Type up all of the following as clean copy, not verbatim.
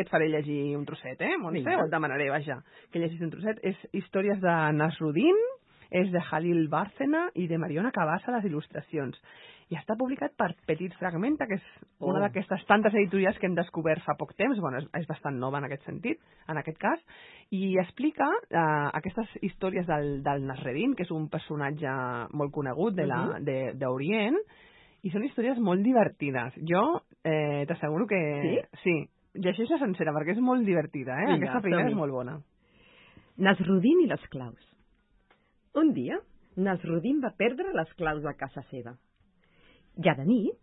que et faré llegir un trosset, Montse? O et demanaré, vaja, que llegis un trosset. És històries de Nasruddin, és de Jalil Bárcena i de Mariona Cabassa, les il·lustracions. I està publicat per Petit Fragmenta, que és una d'aquestes tantes editorials que hem descobert fa poc temps. Bueno, és bastant nova en aquest sentit, en aquest cas. I explica aquestes històries del Nasreddin, que és un personatge molt conegut d'Orient, i són històries molt divertides. Jo t'asseguro que... Sí, llegeix-la sencera, perquè és molt divertida, Aquesta primera és molt bona. Nasruddin i les claus. Un dia, Nasruddin va perdre les claus de casa seva. Ja de nit,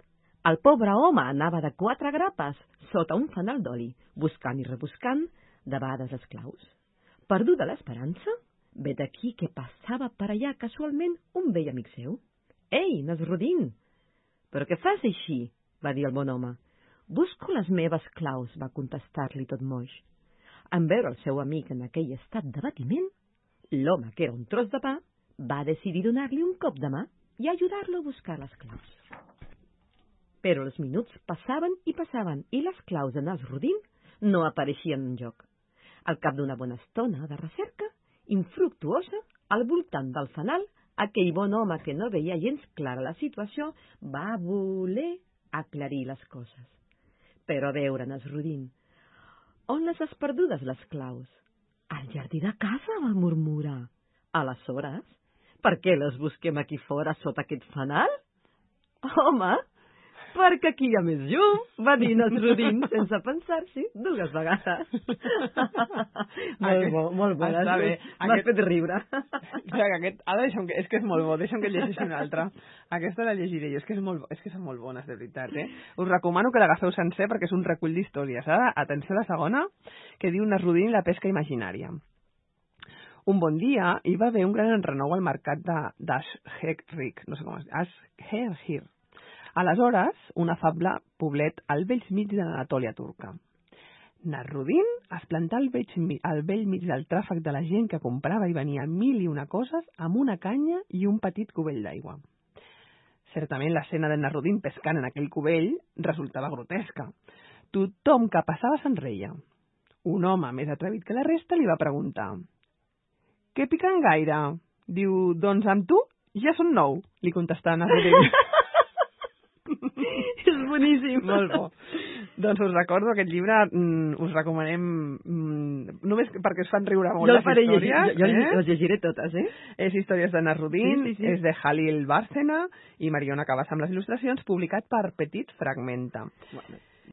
el pobre home anava de 4 grapes sota un fanal d'oli, buscant i rebuscant de vegades les claus. Perduda l'esperança, ve d'aquí que passava per allà casualment un vell amic seu. «Ei, Nasruddin! Però què fas així?», va dir el bon home. «Busco les meves claus», va contestar-li tot moix. En veure el seu amic en aquell estat d'abatiment, l'home, que era un tros de pa, va decidir donar-li un cop de mà i ajudar-lo a buscar les claus. Però els minuts passaven i passaven i les claus de Nasruddin no apareixien enlloc. Al cap d'una bona estona de recerca, infructuosa, al voltant del fanal, aquell bon home que no veia gens clara la situació va voler aclarir les coses. Però a veure, Nasruddin, on les has perdudes, les claus? Al jardí de casa, va murmurar. Aleshores, per què les busquem aquí fora sota aquest fanal? Home, perquè aquí hi ha més llum, va dir Nasruddin sense pensar-s'hi 2 vegades. Molt bo, està bé. M'has fet riure. Ara és que és molt bo, deixa'm que llegeixi una altra. Aquesta la llegiré jo, és que són molt bones, de veritat. Us recomano que l'agafeu sencer perquè és un recull d'històries. Ara, atenció a la segona, que diu Nasruddin i la pesca imaginària. Un bon dia hi va haver un gran enrenou al mercat d'Ashhir, no sé com es diu, Ashhir. Aleshores, un afable poblet al vell mig de l'Anatòlia turca. Nasruddin es plantà al vell mig del tràfic de la gent que comprava i venia 1000 i una coses amb una canya i un petit cubell d'aigua. Certament l'escena de Nasruddin pescant en aquell cubell resultava grotesca. Tothom que passava se'n reia. Un home més atrevit que la resta li va preguntar: «Què piquen gaire?» Diu: «Doncs amb tu ja són 9», li contestà Nasruddin. És boníssim. Molt bo. Doncs us recordo aquest llibre, us recomanem només perquè us fan riure molt les històries. Jo les llegiré totes, És Històries de Nasruddin, és de Jalil Bárcena i Mariona Cabassa amb les il·lustracions, publicat per Petit Fragmenta.